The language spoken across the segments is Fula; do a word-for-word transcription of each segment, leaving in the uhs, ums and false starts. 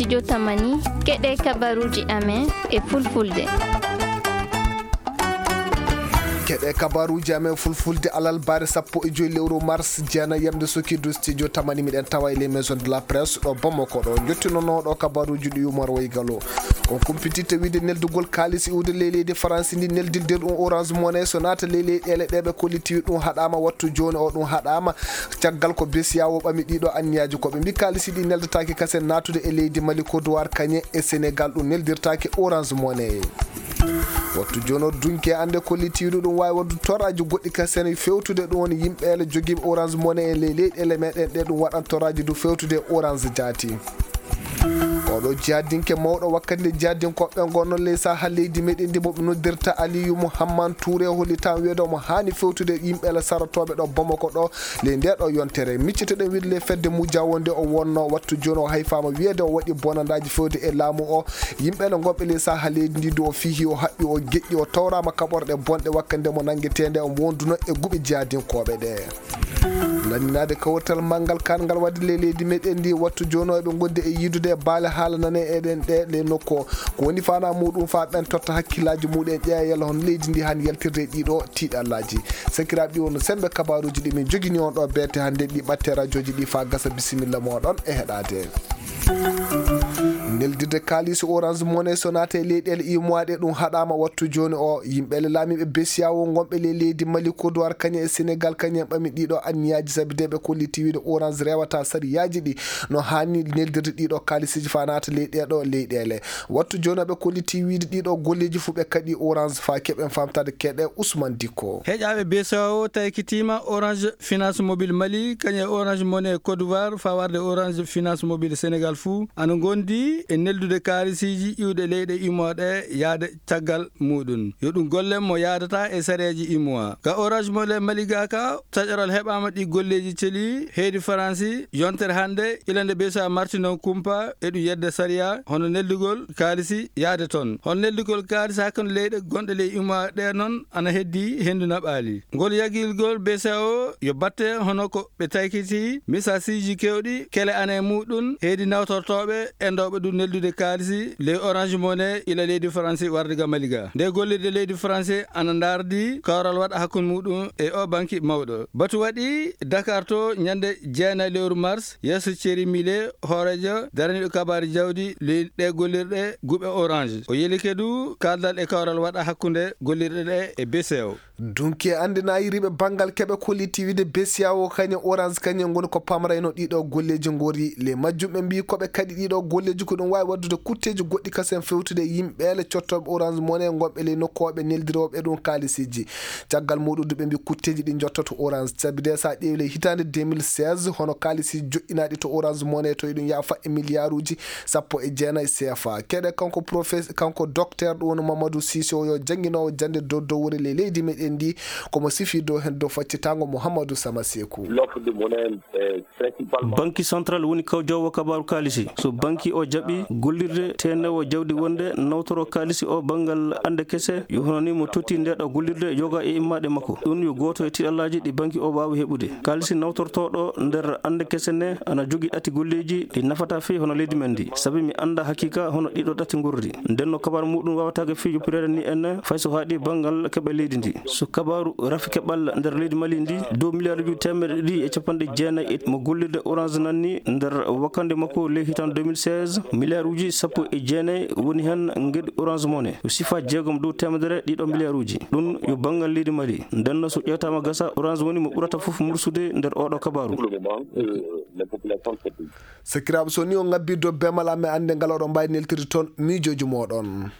Studio Tamani, keɗe kabaruuji amen e fulfulde. Keɗe kabaruuji amen fulfulde alarba sappo e joy lewru mars, jeenay yamde sukiidu studio Tamani, miɗen tawa e les maisons de la presse ɗo Bamako ɗo. Njottinonooɗo kabaruuji ɗi Umar Waygalo. On kumpititta wiide neldugol kaalis iwde ley leydi Faransi ndi, neldilde ɗum Orange Money so naata ley leyɗeele ɗe ɓe kollitiwi ɗum haɗaama, wattu jooni o ɗum haɗaama. Caggal ko besiyawo ɓami ɗiɗo anniyaaji, ko ɓe mbi kaalisi ɗi neldataake kasen naatude e leydi Mali, Côte d'Ivoire, kañe e Sénégal, ɗum neldirtaake Orange Money. Wattu jooni o dunke annde kollitiiɗo ɗum waawi waɗde toraaji goɗɗi kasen fewtude ɗum woni yimɓe ele jogiiɓe Orange Money e ley leyɗeele meɗen ɗe, ɗum waɗan toraaji du fewtude Orange jaati. Oɗo jihadinke mawɗo wakkati nde jihadinkooɓe ngonno ley saha leydi meɗen ndi, mo ɓe noddirta Aliyu Muhammad Ture, hollitan wiyeede omo haani fewtude yimɓe ele sarotooɓe ɗo Bamako ɗo ley nde ɗo yontere. Miccitoɗen wiide ley fedde Muja wonde o wonno, wattu jooni o hayfaama wiyeede o waɗi bonandaaji fewde e laamu o. Yimɓe ele ngonɓe ley saha leydi ndi du o fihi, o haɓɓi, o geƴƴi, o tawraama kaɓorɗe bonɗe wakkati nde mo nangeteende omo wonduno e guɓe jihadinkooɓe ɗe. Lanninaade kawrital manngal kaangal waɗde ley leydi meɗen ndi, wattu jooni o eɓe ngondi e yiidude e baale haala nane eɗen ɗe le nokku o. Ko woni faanaa muɗum faa ɓen totta hakkillaaji muɗen, ƴeeya yalla hono leydi ndi haani yaltirde e ɗiɗo tiiɗallaaji. Sakiraaɓe, ɗi wonno semmbe kabaruuji ɗi min jogini on ɗo beete hannde, ɗi ɓatte rajooji ɗi faa gasa. Bisimilla mooɗon e heɗaade. Neldirde kaalisi Orange Money so naata e leyɗeele imuwaaɗe ɗum haɗaama wattu jooni o. Yimɓe ele laamiiɓe besiyawo ngonɓe ley leydi Mali, Kodowar, kañe e Senegal, kañe en ɓami ɗiɗo anniyaaji, sabi de ɓe kolliti wiide Orange rewata sariyaaji ɗi no haani neldirde ɗiɗo kaalisiiji faa naata ley ɗeeɗo leyɗeele. Wattu jooni o ɓe kolliti wiide ɗiɗo golleeji fuu ɓe kaɗi Orange. Faa keɓen faamtaade keɗe Ousmane Dikko. Heƴaaɓe besiyawo taykitiima Orange Finance Mobile Mali, kañe e Orange Money Côte d'Ivoire, faa warde Orange Finance Mobile Sénégal fuu, ana ngondi e neldude kaalisiiji iwde leyɗe imuwaa ɗe yaade caggal muɗum. Yo ɗum golle mo yaadata e sareeji imuwaa. Ka Orange Money Mali ga ka, taƴoral heɓaama ɗi golleeji celi heydi Faransi, yontere hannde, ila nde besiyawo marti noon kumpa, e ɗum yedde sariya, hono neldugol kaalisi yaade toon. Hono neldugol kaalisi hakkunde leyɗe gonɗe ley imuwaa ɗe noon ana heddi henndu naɓaali. Ngol yagilgol besiyawo yo batte hono ko ɓe taykiti misasiiji keewɗi kele ana e muɗum heydi nawtortooɓe enɗooɓe ɗum neldude kaalisi ley Orange Money ila leydi Faransi warde ga Mali ga. Nde gollirde leydi Faransi ana ndaardi kawral waɗa hakkunde muɗum e o banki mawɗo. Batu waɗi Dakar to ñande jeenayi lewru mars, yeeso Thierry Millet, hooreejo daraniiɗo kabaari jawdi ley ɗe gollirɗe guɓe Orange. O yelike du kaaldal e kawral waɗa hakkunde gollirɗe ɗe e besiyawo. Dunki e anndinaayiriiɓe banngal keɓe kolliti wiide besiyawo kañe Orange kañe ngoni ko pamrayno ɗiɗo golleeji ngori. Ley majjum ɓe mbii ko ɓe kaɗi ɗiɗo golleeji ko ɗum waawi waɗdude kutteeji goɗɗi kasen fewtude e yimɓe ele cottooɓe Orange Money ngonɓe ley nokku o ɓe neldirooɓe ɗum kaalisiiji. Caggal muɗum du ɓe mbii kutteeji ɗi njottoto Orange. Sabi de so a ƴeewi ley hitaande deux mille seize, hono kaalisiiji joƴƴinaaɗi to Orange Money to eɗum yaafa e miliyaaruuji sappo e jeenayi C F A. Keɗe kanko profes-, kanko docteur ɗum woni Mamadou Cissé o yo jannginoowo jannde dow dowre ley leydi meɗen ndi, komo sifi dow heen dow faccitaango Mouhamadou Sama Sekou. L'offre de monnaie, euh, principalement. Banki central woni kawjoowo kabaaru kaalisi. So banki o jaɓi gollirde teenewo jawdi wonde nawtoro kaalisi o banngal annde kese, yo hono ni mo totti nde ɗo gollirde yoga e immaɗe makko. Ɗum yo gooto e tiɗallaaji ɗi banki o waawi heɓude. Kaalisi nawtortooɗo nder annde kese ne ana jogi ɗati golleeji ɗi nafata fii hono leydi men ndi. Sabi mi annda hakiika hono ɗiɗo ɗati ngorri. Nden no kabar muɗum waawataake fii yoppireede ni en fay so haaɗi banngal keɓe leydi ndi. So kabaaru rafi keɓal nder leydi Mali ndi, dow miliyaaruuji teemeɗɗe ɗiɗi e capanɗe jeenayi e mo gollirde Orange nanni nder wakkande makko ley hitan deux mille seize, miliyaaruuji sappo e jeenayi woni heen ngedi Orange Money. Yo sifa jeegom dow teemedere ɗiɗo miliyaaruuji. Ɗum yo banngal leydi Mali. Nden no so ƴeewtaama gasa, Orange woni mo ɓurata fof mursude nder oɗo kabaaru. Pour le moment, euh, les populations se plaignent. Sakiraaɓe, so ni on ngabbii dow beemal amen, annde ngal oɗon mbaawi neltirde toon miijooji mooɗon.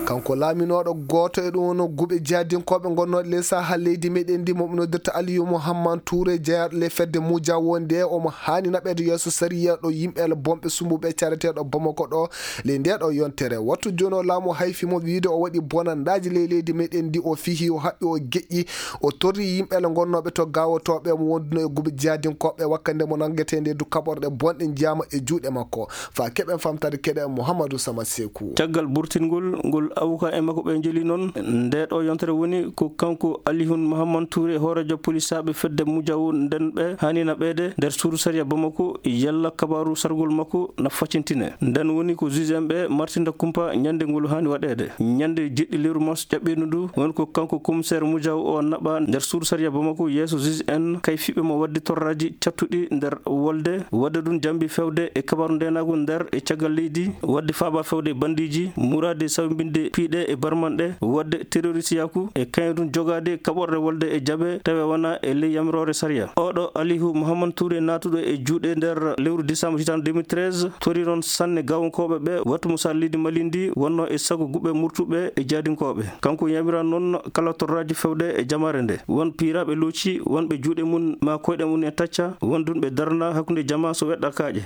Kanko laaminooɗo gooto e ɗum woni guɓe jihadinkooɓe ngonnooɗe ley saha leydi meɗen ndi, mo ɓe noddirta Aliyu Muhammad Tuure, jeyaaɗo ley fedde Muja, wonde omo haani naɓeede yeeso sariya ɗo yimɓe ele bonɓe sumbuɓe careteeɗo Bamako ɗo ley nde ɗo yontere. Wattu jooni o laamu hayfi mo wiide o waɗi bonandaaji ley leydi meɗen ndi, o fihi, o haɓɓi, o geƴƴi, o torri yimɓe ele ngonnooɓe to gaawotooɓe mo wonduno e guɓe jihadinkooɓe wakkande mo nangetee nde du kaɓorɗe bonɗe njiyaama e juuɗe makko. Faa keɓen famtaade keɗe Mouhamadou Sama Sekou. Caggal burtingol ngol, avocat e makko ɓe njeli noon, nde ɗo yontere woni ko kanko Alihun Mahaman Touré, hooreejo polisaaɓe fedde Mujaw nden ɓe haanina ɓeyde nder suudu sariya Bamako, yalla kabaaru sargol makko na faccintine. Nden woni ko juge en ɓe martinta kumpa ñande ngol haani waɗeede. Ñande jeɗɗi lewru mars ƴaɓɓiindu ndu, woni ko kanko commissaire Mujaw o naɓa nder suudu sariya Bamako yeeso juge en, kay fiɓe mo wadde torraaji cattuɗi nder wolde, wadde ɗum jambi fewde e kabaaru ndeenaagu nder e caggal leydi, wadde faaba fewde e bandiiji, muraade sawbinde piiɗe e barmanɗe, wadde terroristiyaaku e kañum ɗum jogaade kaɓorɗe wolde e jaɓe tawe wona e ley yamiroore sariya. Oɗo Alihu Muhammad Touré naatuɗo e juuɗe nder lewru décembre hitaande deux mille treize, tori noon sanne gawonkooɓe ɓe wattu mo sar leydi Mali ndi wonno e sago guɓe murtuɓe e jaadinkooɓe. Kanko yamira noon kala torraaji fewde e jamaare nde. Won piiraaɓe looci, wonɓe juuɗe mum ma koyɗe mum e tacca, won dunɓe darna hakkunde jama so weɗɗa kaaƴe.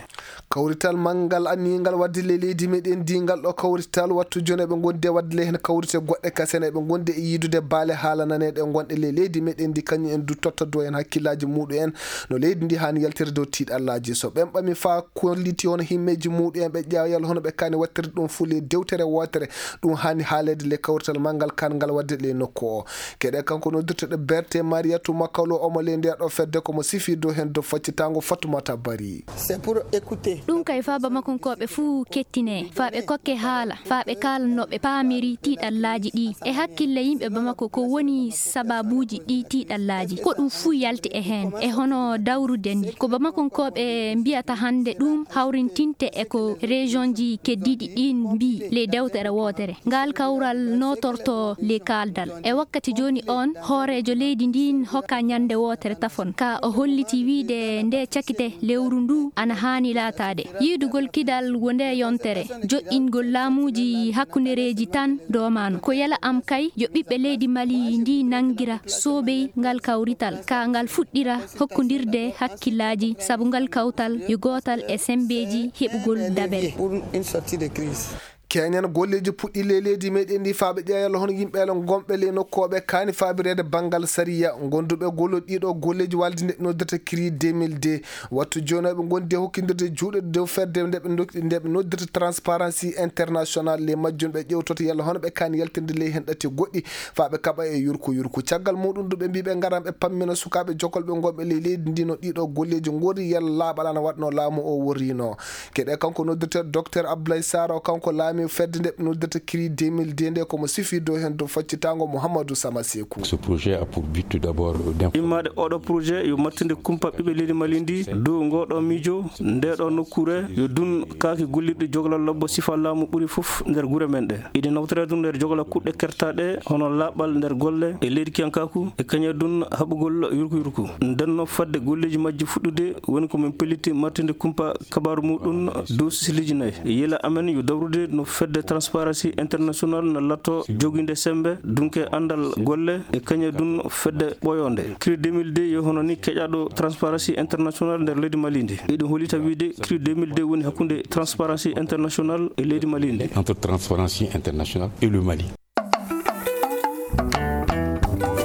Kawrital manngal anniingal waɗde ley leydi meɗen ndi, ngal ɗo kawrital wattu jooni eɓe ngondi e waɗde ley heen kawrite goɗɗe kasen, eɓe ngondi e yiidude baale haala naneeɗe gonɗe ley leydi meɗen ndi, kañum en du totta do en hakkillaaji muɗum en no leydi ndi haani yaltire dow tiiɗallaaji. So ɓen ɓami faa kolliti hono himmeeji muɗum en, ɓe ƴeewa yalla hono ɓe kaani waɗtirde ɗum fuu ley dewtere wootere, ɗum haani haaleede ley kawrital manngal kaangal waɗde ley nokku o. Keɗe kanko noddirteɗo Berte Mariyatu Makalo, omo ley ndeya ɗo fedde, komo sifi dow heen dow faccitaango Fatumata Bari. C'est pour écouter. Ɗum kay faa Bamakonkooɓe fuu kettinee, faa ɓe kokke haala, faa ɓe kaala no ɓe paamiri tiiɗallaaji ɗi. E hakkille yimɓe Bamako, ko woni sababuuji ɗi tiiɗallaaji? Ko ɗum fuu yalti e heen, e hono dawrude ni. Ko Bamakonkooɓe mbiyata hannde ɗum hawrintinte e ko région ji keddiiɗi ɗin mbii ley dewtere wootere. Ngal kawral nootorto ley kaaldal. E wakkati jooni on, hooreejo leydi ndin hokka ñande wootere tafon. Ka o holliti wiide nde cakite lewru ndu ana haani laataade. Yiidugol kidal wo nde yontere. Joɗɗingol laamuuji hakkundereeji tan doomano. Ko yala am kay yo ɓiɓɓe leydi Mali ndi nangira soobey ngal kawrital. Ka ngal fuɗɗira hokkondirde hakkillaaji sabu ngal kawtal yo gootal e sembeeji heɓugol dabere. Pour une sortie de crise. Keñan golleeji puɗɗi ley leydi meɗen ndi faa ɓe ƴeewa yalla hono yimɓe gonɓe ley nokku o ɓe kaani faabireede banngal sariya. Gonduɓe gollude ɗiɗo golleeji walde nde ɓe noddirta cri deux mille deux. Wattu jooni o ɓe ngondi e hokkindirde juuɗe dow fedde nde ɓe ndok-, nde ɓe noddirta Transparency International. Ley majjum ɓe ƴewtoto yalla hono ɓe kaani yaltinde ley heen ɗatti goɗɗi faa ɓe kaɓa e yurku yurku. Caggal muɗum du ɓe mbii ɓe ngaran ɓe pammina sukaaɓe jokolɓe gonɓe ley leydi ndi no ɗiɗo golleeji ngori yalla laaɓal ana waɗno laamu o worrino. Keɗe kanko noddirteeɗo Docteur Abdoulaye Sarr o, kanko laami fedde nde ɓe noddirta cri deux mille deux nde, komo sifi dow heen dow faccitaango Mouhamadou Sama Sekou. Ce projet a pour but tout d'abord d'informer. Immaade oɗo projet yo mattinde kumpa ɓiɓɓe leydi Mali ndi dow ngoɗo miijo, nde ɗo nokkure yo dun kaaki gollirɗe jogalal lobbo sifa laamu ɓuri fof nder gure men ɗe. Iɗe nawtore dun nder jogalal kuɗɗe kertaɗe hono laaɓal nder golle e leydi kiyankaaku e kañe dun haɓugol yurku yurku. Ndenno fadde golleeji majji fuɗɗude woni ko min pelliti mattinde kumpa kabaaru muɗum dow sisiliiji nayi. Yila amen yo dawrude no fedde Transparency International na latto joginde sembe, dunke andal golle e kañe dun fedde ɓoyonde. Cri deux mille deux yo hono ni keƴaɗo Transparency International nder leydi Mali ndi. Eɗum holita wiide cri deux mille deux woni hakkunde Transparency International e leydi Mali ndi. Entre Transparency International et le Mali.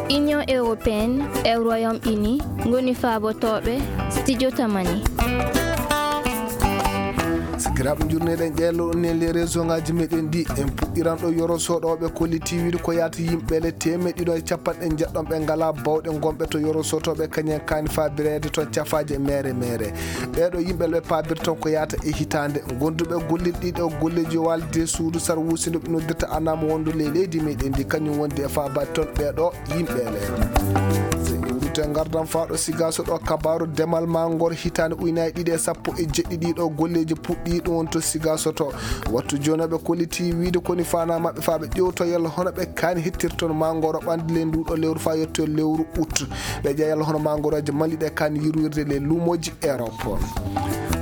Union européenne e Royaume-Uni ngoni faabotooɓe studio Tamani. Sikiraaɓe, njurneɗen ƴeelo on e les réseau ngaji meɗen ɗi. En puɗɗiran ɗo yoro soɗoɓe kolliti wiide ko yaata yimɓe le teemeɗɗe ɗiɗo e capanɗe njeɗɗon ɓe ngala bawɗe gonɓe to yoro sotoɓe kañen kaani faabireede to cafaaje mere mere. Ɓeeɗo yimɓe le ɓe paabirton ko yaata e hitaande. Gonduɓe gollirɗi ɗo golleeji walde suudu sar wuusindo ɓe noddirta anam wondu ley leydi meɗen ndi, kañum wondi e faabaade toon ɓeeɗo yimɓe le. Se iwrute ngardan faaɗo Sigaaso ɗo, kabaaru demal mangoro hitaande ujunaaji ɗiɗi e sappo e jeɗɗi ɗiɗo golleeji puɗɗi ɗum won to Sigaaso to. Wattu jooni ɓe kolliti wiide koni fana maɓɓe faa ɓe ƴewto yalla hono ɓe kaani hettirton mangoro ɓandu ley nduɗo lewru faa yetto lewru août. Ɓe ƴeewa yalla hono mangoroje Mali ɗe kaani yurwirde ley luumoji Europe.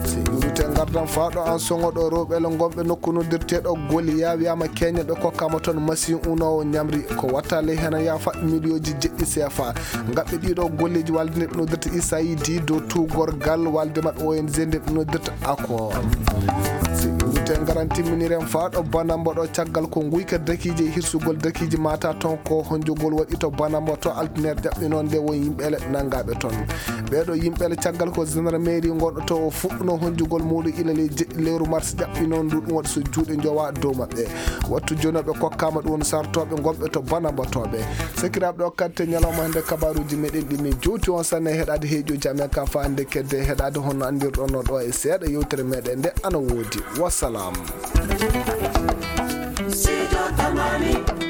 Se iwrite ngardan faaɗo an soŋo ɗo rewɓe le gonɓe nokku noddirteɗo Goliya, wiyama keñen ɓe kokkama toon machine unowo ñamri ko watta ley hena yaafa miliyoji jeɗɗi C F A. Ngaɓɓe ɗiɗo golleeji walde nde ɓe noddirta U S A I D dow tuugorgal walde maɓɓe O N G nde ɓe noddirta Accord. Se iwrite ngaran timminiren faaɗo Banambo ɗo caggal ko nguyka dakiije e hirsugol dakiiji mata toon ko honjugol waɗi to Banambo to altine ƴaɓɓi noon nde won yimɓe le nangaɓe toon. Ɓeeɗo yimɓe le caggal ko gendarmerie gonɗo to o fuɗɗuno honjugol muɗum ila ley je- lewru mars jaɓɓi noon ndu ɗum waɗi so juuɗe njowa dow maɓɓe. Wattu jooni ɓe kokkaama ɗum woni sartooɓe gonɓe to banambatooɓe. Sakiraaɓe, ɗo karte ñalawma hannde kabaruuji meɗen ɗi min jowti on sanne heɗaade heeƴooji amen ka fa hannde kedde heɗaade honno anndirɗon no ɗo e seeɗa yewtere meɗen nde ana woodi. Wassalam. Sijo Tamani.